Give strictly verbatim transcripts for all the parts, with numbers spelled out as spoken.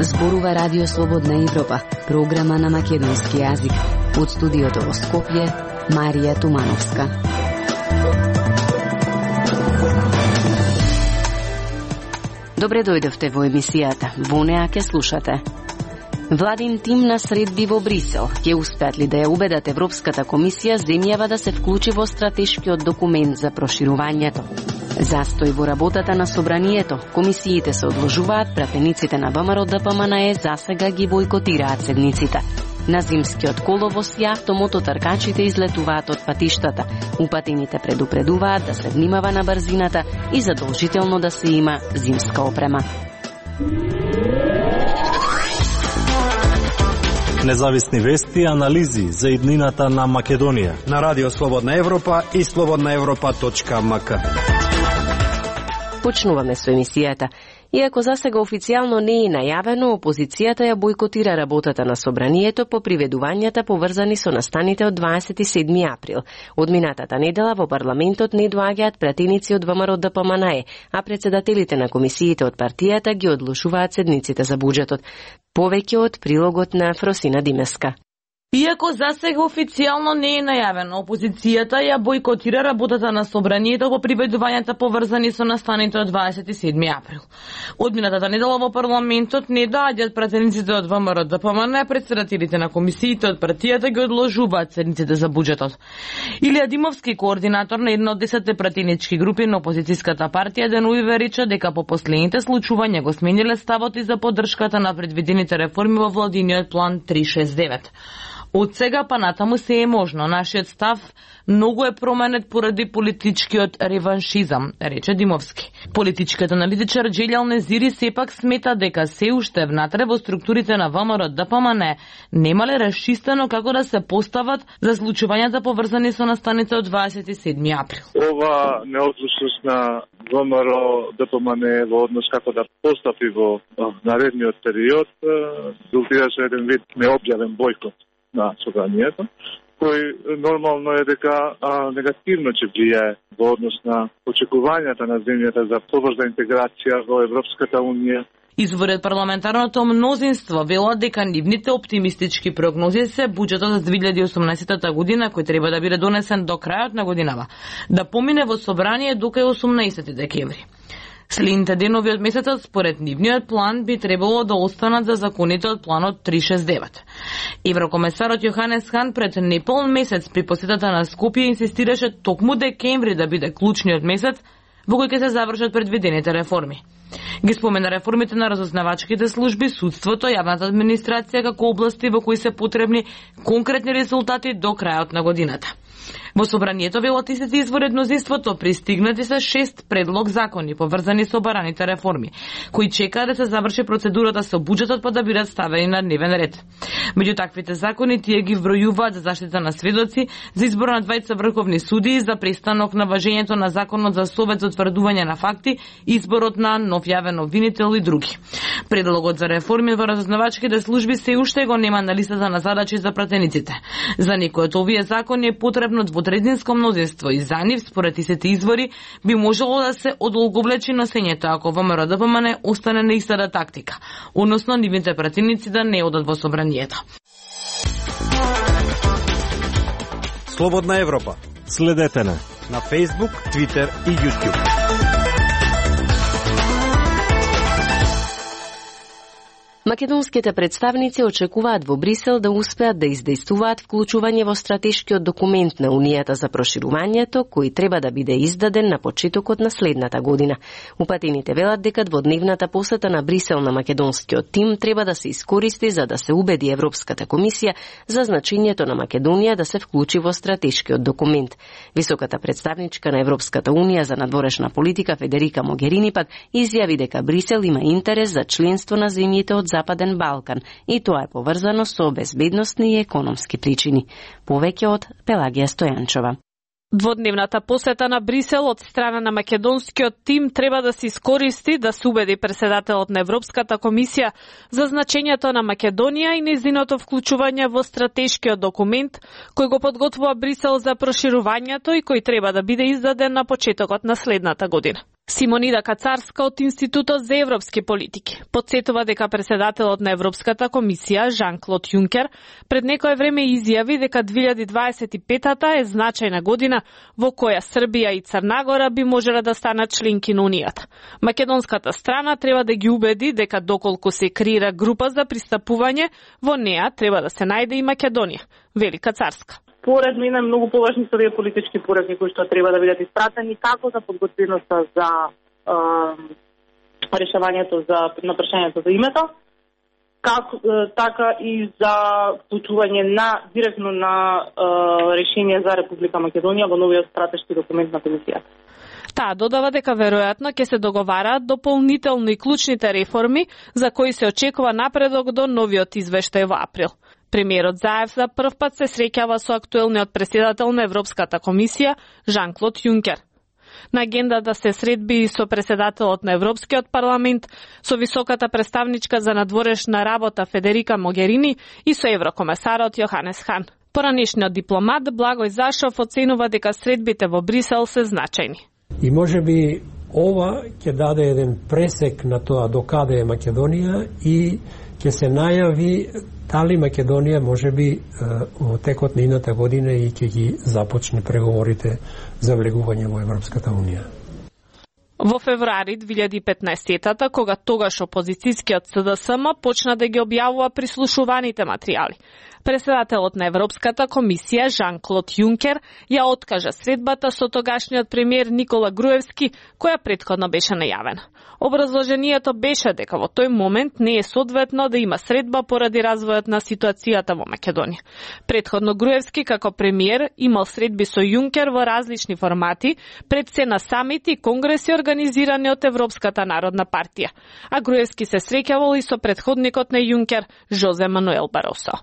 Зборува Радио Слободна Европа, програма на македонски јазик. Од студиото во Скопје, Марија Тумановска. Добре дојдовте во емисијата. Во неа ќе слушате. Владин тим на средби во Брисел. Ќе успеат ли да ја убедат Европската комисија земјава да се вклучи во стратешкиот документ за проширувањето? Застој во работата на собранието. Комисиите се одложуваат, пратениците на ВМРО Д П М Н Е засега ги бойкотираат седниците. На зимскиот коловоз и автомототркачите излетуваат од патиштата. Упатените предупредуваат да се внимава на брзината и задолжително да се има зимска опрема. Независни вести и анализи за иднината на Македонија на Радио Слободна Европа и слободна европа точка м к. Почнуваме со емисијата. Иако засега официјално не е најавено, опозицијата ја бойкотира работата на собранието по приведувањата поврзани со настаните од дваесет и седми април. Од минатата недела во парламентот не доаѓаат пратеници од ВМРО Д П М Н Е, а председателите на комисиите од партијата ги одложуваат седниците за буџетот. Повеќе од прилогот на Фросина Димеска. Иако засега официјално не е најавено, опозицијата ја бойкотира работата на собранието по приведувањата поврзани со настаните од дваесет и седми април. Од минатата недела во парламентот не доаѓаат пратениците од ВМРО Д П М Н, председателите на комисиите од партијата ги одложуваат седниците за буџетот. Илија Димовски, координатор на една од десетте пратенички групи на опозицијската партија, денуи рече дека по последните случувања го смениле ставот и за поддршката на предвидените реформи во владиниот план триста шеесет и девет. Од сега па натаму се е можно. Нашиот став многу е променет поради политичкиот реваншизам, рече Димовски. Политичкиот аналитичар Джелјал Незири сепак смета дека се уште внатре во структурите на ВМРО Д П М Н немале расчистено како да се постават за случувањата поврзани со настаните од дваесет и седми април. Ова неодлучност на ВМРО Д П М Н во однос како да постапи во наредниот период резултираше еден вид необјавен бойкот на собранието, кој нормално е дека а, негативно ќе влијае во однос на очекувањата на земјата за побрза интеграција во Европската унија. Изворот парламентарното мнозинство велат дека нивните оптимистички прогнози се буџетот за две илјади и осумнаесета година, кој треба да биде донесен до крајот на годинава, да помине во собрание до кај осумнаесети декември. Следните денови од месецот, според нивниот план, би требало да останат за законите од планот триста шеесет и девет. Еврокомесарот Јоханес Хан пред неполн месец при посетата на Скопје инсистираше токму декември да биде клучниот месец во кој ќе се завршат предвидените реформи. Ги спомена реформите на разузнавачките служби, судството, јавната администрација како области во кои се потребни конкретни резултати до крајот на годината. Во собранието велат истите изворед мнозинството пристигнати се шест предлог закони поврзани со бараните реформи, кои чекаат да се заврши процедурата со буџетот па да бидат ставени на дневен ред. Меѓу таквите закони тие ги вбројуваат за заштита на сведоци, за избор на двајца врховни судии, за престанок на важењето на законот за совет за утврдување на факти, изборот на нов јавен обвинител и други. Предлогот за реформи во разузнавачките служби се уште го нема на листата на задачи за пратениците. За некои од овие закони е потребно двотретинско мнозинство и за нив, според истите извори, би можело да се одолговлечи носењето ако ВМРО Д П М Н остане на истата тактика, односно нивните пратеници да не одат во собранието. Слободна Европа. Следете на на Facebook, Twitter и YouTube. Македонските представници очекуваат во Брисел да успеат да издействуваат вклучување во стратешкиот документ на Унијата за проширувањето, кој треба да биде издаден на почетокот на следната година. Упатените велат дека дводневната посета на Брисел на македонскиот тим треба да се искористи за да се убеди Европската комисија за значењето на Македонија да се вклучи во стратешкиот документ. Високата представничка на Европската Унија за надворешна политика Федерика Могерини пак изјави дека Брисел има интерес за членство на земјите од Западен Балкан и тоа е поврзано со безбедносни и економски причини. Повеќе од Пелагија Стојанчова. Дводневната посета на Брисел од страна на македонскиот тим треба да се искористи да се убеди претседателот на Европската комисија за значењето на Македонија и нејзиното вклучување во стратешкиот документ кој го подготвува Брисел за проширувањето и кој треба да биде издаден на почетокот на следната година. Симонида Кацарска од Институтот за европски политики потсетува дека претседателот на Европската комисија Жан-Клод Јункер пред некое време изјави дека две илјади дваесет и петата е значајна година во која Србија и Црна Гора би можеле да станат членки на Унијата. Македонската страна треба да ги убеди дека доколку се креира група за пристапување, во неа треба да се најде и Македонија, вели Кацарска. Поред мене многу поважни се овие политички пораки кои што треба да бидат испратени како за подготвеноста за е, решавањето за на прашањето за името, како е, така и за вклучување на директно на е, решение за Република Македонија во новиот стратешки документ на комисијата. Таа додава дека веројатно ќе се договараат дополнително и клучните реформи за кои се очекува напредок до новиот извештај во април. Премиерот Заев за прв пат се среќава со актуелниот претседател на Европската комисија Жан-Клод Јункер. На агендата се средби и со претседателот на Европскиот парламент, со високата представничка за надворешна работа Федерика Могерини и со еврокомесарот Јоханес Хан. Поранешниот дипломат Благој Зашов оценува дека средбите во Брисел се значајни. И можеби ова ќе даде еден пресек на тоа до каде е Македонија и ќе се најави дали Македонија можеби во текот на идната година и ќе ги започне преговорите за влегување во Европската Унија. Во февруари две илјади и петнаесетата, кога тогаш опозицијскиот С Д С М почна да ги објавува прислушуваните материјали, претседателот на Европската комисија Жан-Клод Јункер ја откажа средбата со тогашниот премиер Никола Груевски, која претходно беше најавена. Образложението беше дека во тој момент не е соодветно да има средба поради развојот на ситуацијата во Македонија. Претходно Груевски како премиер имал средби со Јункер во различни формати, пред се на самити и конгреси организирани од Европската народна партија, а Груевски се среќавал и со претходникот на Јункер Жозе Мануел Баросо.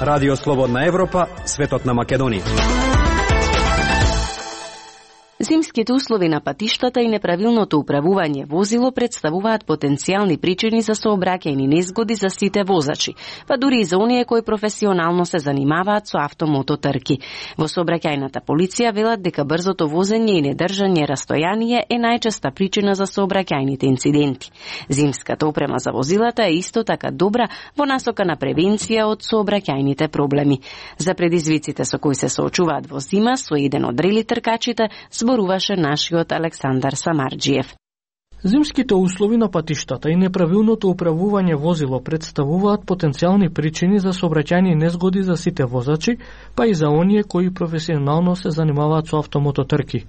Радио Слободна Европа, светот на Македонија. Зимските услови на патиштата и неправилното управување возило представуваат потенцијални причини за сообраќајни незгоди за сите возачи, па дури и за оние кои професионално се занимаваат со автомототрки. Во сообраќајната полиција велат дека брзото возење и недржање растојание е најчеста причина за сообраќајните инциденти. Зимската опрема за возилата е исто така добра во насока на превенција од сообраќајните проблеми. За предизвиците со кои се соочуваат во зима со еден од рели тркачите зборуваше нашиот Александар Самарџиев. Зимските услови на патиштата и неправилното управување возило представуваат потенцијални причини за сообраќајни незгоди за сите возачи, па и за оние кои професионално се занимаваат со автомототрки.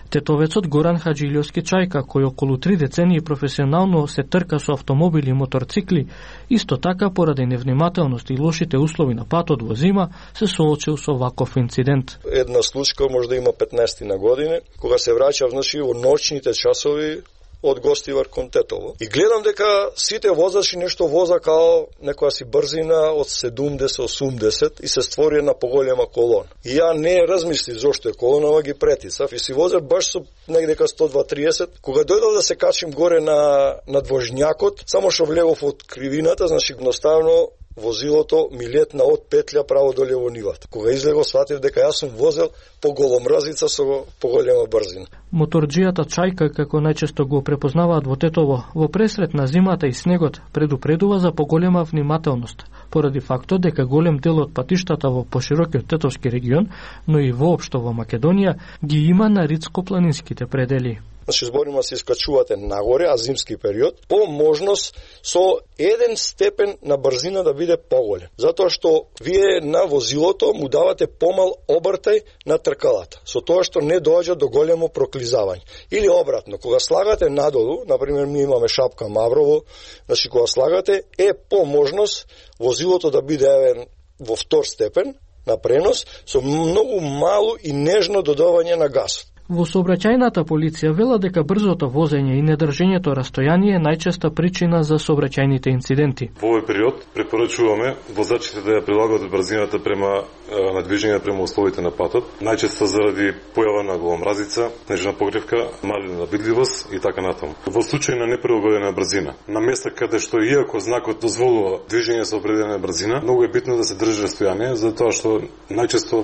Тетовецот Горан Хаджилјовски Чајка, кој околу три децении професионално се трка со автомобили и моторцикли, исто така поради невнимателност и лошите услови на патот во зима, се соочил со ваков инцидент. Една случка може да има петнаесет на години, кога се враќав значи во ноќните часови од Гостивар кон Тетово. И гледам дека сите возачи нешто воза као некоја си брзина од седумдесет до осумдесет и се створи една поголема колона. И ја не размислив зошто е колонава, ги претицав и си возев баш со негде ка сто два триесет. Кога дојдов да се качим горе на на двожњакот, само што влегов од кривината, значи едноставно возилото ми летна од петља право доле во нивата. Кога излего сватив дека јас сум возел по голомразица со поголема брзина. Моторџијата Чајка, како најчесто го препознаваат во Тетово, во пресрет на зимата и снегот предупредува за поголема внимателност, поради фактот дека голем дел од патиштата во поширокиот Тетовски регион, но и воопшто во Македонија, ги има на ридско-планинските предели. Значи, зборима се искачувате нагоре, а зимски период, по можност со еден степен на брзина да биде поголем. Затоа што вие на возилото му давате помал обртај на тркалата, со тоа што не доаѓа до големо проклизавање. Или обратно, кога слагате надолу, например, ми имаме шапка Маврово, значи кога слагате, е по можност возилото да биде евен во втор степен на пренос со многу мало и нежно додавање на газ. Во сообраќајната полиција велат дека брзото возење и недржењето растојание е најчеста причина за сообраќајните инциденти. Во овој период препорачуваме возачите да ја прилагат брзината према на движење према условите на патот, најчесто заради појава на голомразица, снежна покривка, малена видливост и така натаму. Во случај на неприлагодена брзина, на места каде што иако знакот дозволува движење со определена брзина, многу е битно да се држи растојание, затоа што најчесто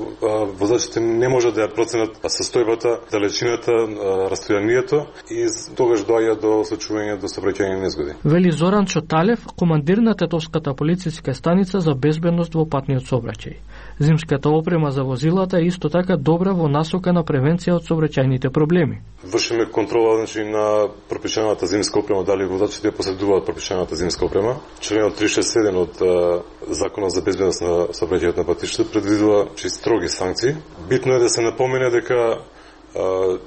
возачите не можат да ја проценат состојбата, далечината, растојанието и тогаш доаѓа до случување до сообраќајни незгоди. Вели Зоран Чоталев, командир на Тетовската полициска станица за безбедност во патниот сообраќај. Зимската опрема за возилата е исто така добра во насока на превенција од сообраќајните проблеми. Вршиме контрола значи на пропишаната зимска опрема, дали возачите поседуваат пропишаната зимска опрема. Членот триста шесет и седум од Законот за безбедност на сообраќајот на патиштата предвидува че строги санкции. Битно е да се напомене дека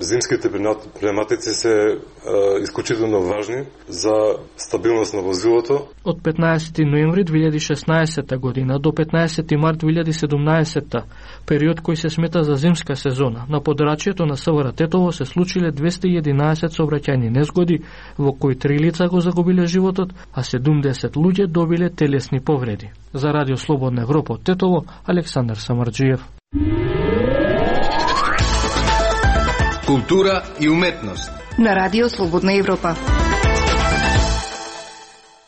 зимските пневматици се исклучително важни за стабилност на возилото. Од петнаесети ноември две илјади и шеснаесетта година до петнаесети март две илјади и седумнаесетта, период кој се смета за зимска сезона, на подрачјето на СВР Тетово се случиле двесте и единаесет сообраќајни незгоди, во кои три лица го загубиле животот, а седумдесет луѓе добиле телесни повреди. За Радио Слободна Европа од Тетово, Александар Самарџиев. Култура и уметност на Радио Слободна Европа.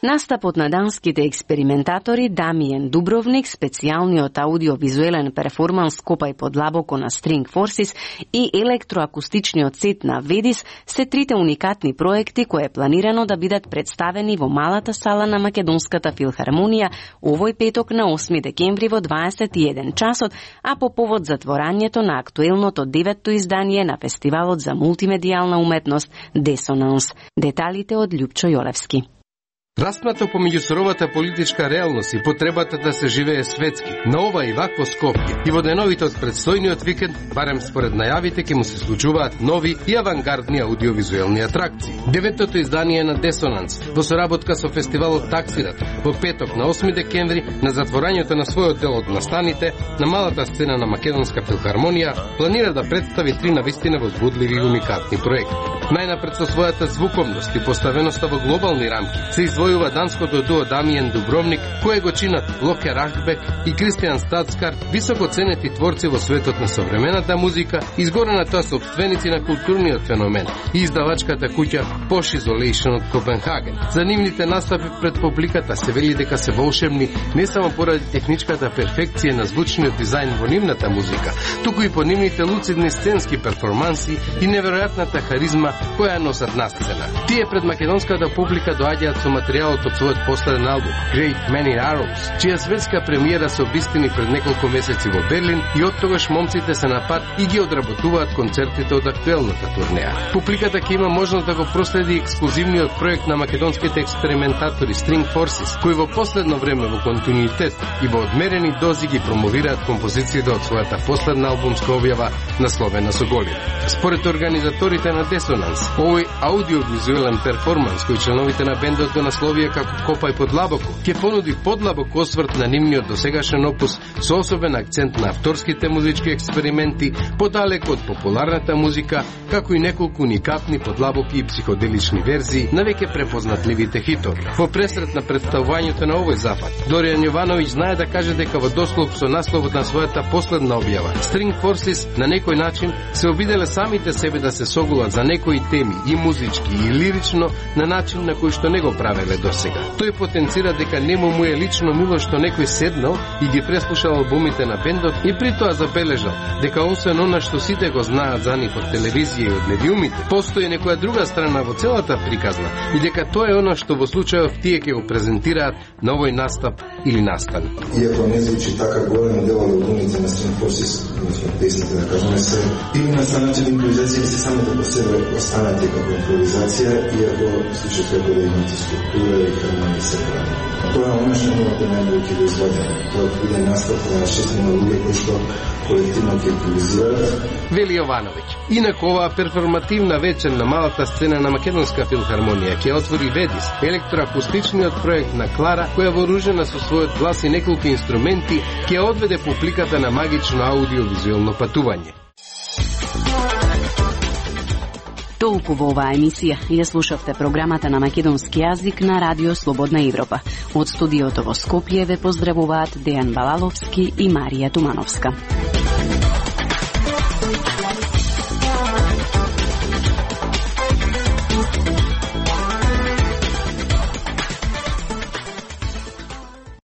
Настапот на данските експериментатори Дамиен Дубровник, специјалниот аудиовизуелен перформанс Копај подлабоко на String Forces и електроакустичниот сет на Ведис се трите уникатни проекти кои е планирано да бидат представени во малата сала на Македонската филхармонија овој петок на осми декември во дваесет и еден часот, а по повод затворањето на актуелното деветто издание на фестивалот за мултимедијална уметност Десонанс. Деталите од Љупчо Јолевски. Распнато помеѓу суровата политичка реалност и потребата да се живее светски, на ова и вакво Скопје и во деновите од предстојниот викенд, барем според најавите, ќе му се случуваат нови и авангардни аудиовизуелни атракции. Деветото издание на Десонанс, во соработка со фестивалот Таксират, во петок на осми декември, на затворањето на својот дел од настаните, на малата сцена на Македонска филхармонија, планира да представи три навистина возбудливи и уникатни проекти. Најнапред со својата звуковност и поставеноста во глобални рамки се извојува данското дуо Дамиен Дубровник, кое го чинат Локе Рахбек и Кристијан Стацкар, високо ценети творци во светот на современата музика, изгорена тоа собственици на културниот феномен и издавачката куќа Posh Isolation од Копенхаген. За нивните настапи пред публиката се вели дека се волшебни не само поради техничката перфекција на звучниот дизајн во нивната музика, туку и по нивните луцидни сценски перформанси и неверојатната харизма која носат на сцена. Тие пред македонската публика доаѓаат со материјалот од својот последен албум Great Many Arrows, чија светска премиера се обистини пред неколку месеци во Берлин и оттогаш момците се на пат и ги одработуваат концертите од актуелната турнеја. Публиката ќе има можност да го проследи ексклузивниот проект на македонските експериментатори String Forces, кои во последно време во континуитет и во одмерени дози ги промовираат композициите од својата последна албумска објава насловена со Голина. Според организаторите на Десонанс, овој аудиовизуелен перформанс кој членовите на бендот го насловија како Копај подлабоко, ќе понуди подлабок осврт на нивниот досегашен опус со особен акцент на авторските музички експерименти, подалеку од популарната музика, како и неколку уникатни подлабоки и психоделични верзии на веќе препознатливите хитови. Во пресрет на представувањето на овој запад, Доријан Јовановиќ знае да каже дека во дослов со насловот на својата последна објава, String Forces на некој начин се обиделе самите себе да се согулат за некои теми и музички и лирично на начин на кој што не го правеле досега. Тој потенцира дека нему му е лично мило што некој седнал и ги преслушал албумите на бендот и при тоа забележал дека освен она што сите го знаат за нив од телевизија и од медиумите, постои некоја друга страна во целата приказна и дека тоа е она што во случајов тие ќе го презентираат на овој настап или настан. Иако не звучи така голем дел од албумите на String Forces, односно песните да кажеме се или настанати импровизација или се само да по себе останати како импровизација, иако случајот како да имате структура и хармонија се прави. Тоа е оно што новата најдобро ќе го извадиме. Тоа биде настап на шестина луѓе кои што колективно ќе импровизираат. Вели Јовановиќ. Инаку оваа перформативна вечер на малата сцена на Македонска филхармонија ќе отвори Ведис, електроакустичниот проект на Клара, која вооружена со својот глас и неколку инструменти ќе одведе публиката на магично аудиовизуелно патување. Толку во оваа емисија. Ја слушавте програмата на македонски јазик на Радио Слободна Европа. Од студиото во Скопје ве поздравуваат Дејан Балаловски и Марија Тумановска.